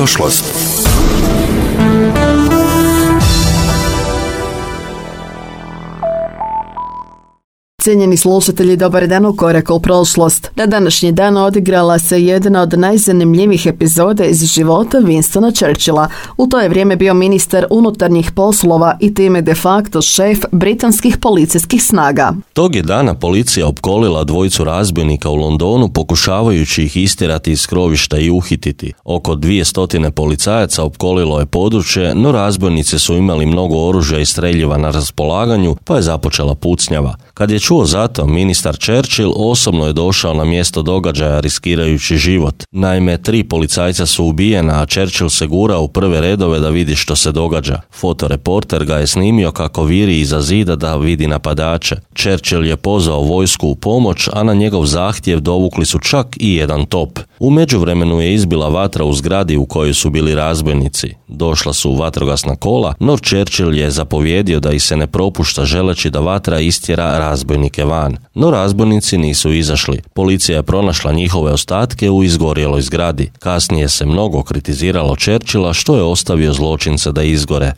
prošlost. Cijenjeni slušatelji, dobar dan u Koraku u prošlost. Na današnji dan odigrala se jedna od najzanimljivijih epizoda iz života Winstona Churchilla. U to je vrijeme bio ministar unutarnjih poslova i time de facto šef britanskih policijskih snaga. Tog je dana policija opkolila dvojicu razbojnika u Londonu pokušavajući ih istjerati iz skrovišta i uhititi. Oko 200 policajaca opkolilo je područje, no razbojnici su imali mnogo oružja i streljiva na raspolaganju, pa je započela pucnjava. Kad je čuo za to, ministar Churchill osobno je došao na mjesto događaja riskirajući život. Naime, 3 policajca su ubijena, a Churchill se gura u prve redove da vidi što se događa. Fotoreporter ga je snimio kako viri iza zida da vidi napadače. Churchill je pozvao vojsku u pomoć, a na njegov zahtjev dovukli su čak i jedan top. U međuvremenu je izbila vatra u zgradi u kojoj su bili razbojnici. Došla su vatrogasna kola, no Churchill je zapovjedio da ih se ne propušta želeći da vatra istjera razbojnike van. No razbojnici nisu izašli. Policija je pronašla njihove ostatke u izgorjeloj zgradi. Kasnije se mnogo kritiziralo Churchilla što je ostavio zločince da izgore.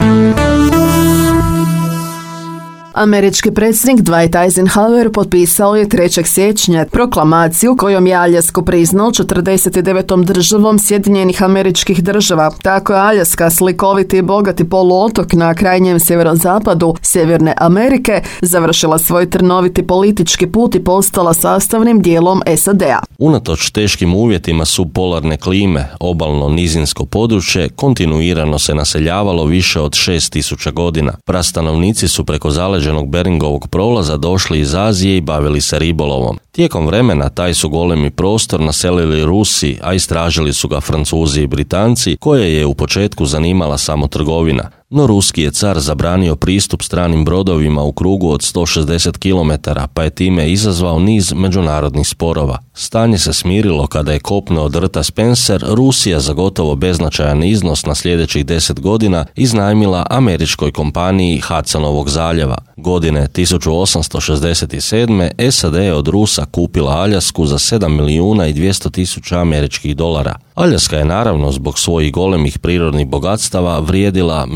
Američki predsjednik Dwight Eisenhower potpisao je 3. siječnja proklamaciju kojom je Aljasku priznao 49. državom Sjedinjenih Američkih Država. Tako je Aljaska, slikoviti i bogati poluotok na krajnjem sjeverozapadu Sjeverne Amerike, završila svoj trnoviti politički put i postala sastavnim dijelom SAD-a. Unatoč teškim uvjetima subpolarne klime, obalno nizinsko područje kontinuirano se naseljavalo više od 6000 godina. Prastanovnici su preko zaleđenog Beringovog prolaza došli iz Azije i bavili se ribolovom. Tijekom vremena taj su golemi prostor naselili Rusi, a istražili su ga Francuzi i Britanci, koje je u početku zanimala samo trgovina. No ruski je car zabranio pristup stranim brodovima u krugu od 160 km, pa je time izazvao niz međunarodnih sporova. Stanje se smirilo kada je kopno od rta Spencer Rusija za gotovo beznačajan iznos na sljedećih 10 godina iznajmila američkoj kompaniji Hudsonovog zaljeva. Godine 1867. SAD je od Rusa kupila Aljasku za 7.200.000 američkih dolara. Aljaska je naravno zbog svojih golemih prirodnih bogatstava vrijedila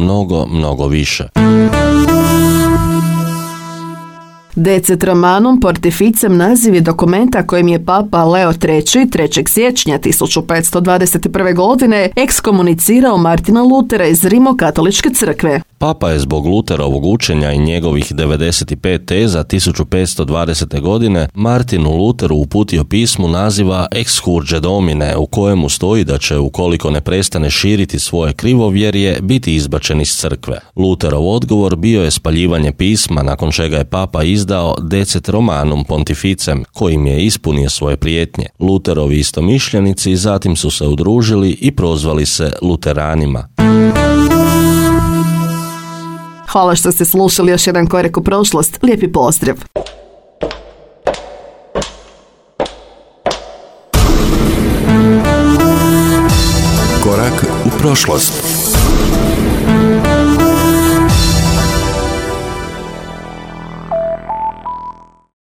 mnogo više. Decet Romanum Pontificem naziv je dokumenta kojim je Papa Leo III. 3. siječnja 1521. godine ekskomunicirao Martina Lutera iz Rimokatoličke crkve. Papa je zbog Luterovog učenja i njegovih 95 teza 1520. godine Martinu Luteru uputio pismu naziva Ex Urge Domine, u kojemu stoji da će, ukoliko ne prestane širiti svoje krivovjerje, biti izbačen iz crkve. Luterov odgovor bio je spaljivanje pisma, nakon čega je Papa izdao Decet Romanum Pontificem, kojim je ispunio svoje prijetnje. Luterovi istomišljenici zatim su se udružili i prozvali se Luteranima. Hvala što ste slušali još jedan korak u prošlost. Lijepi pozdrav! Korak u prošlost.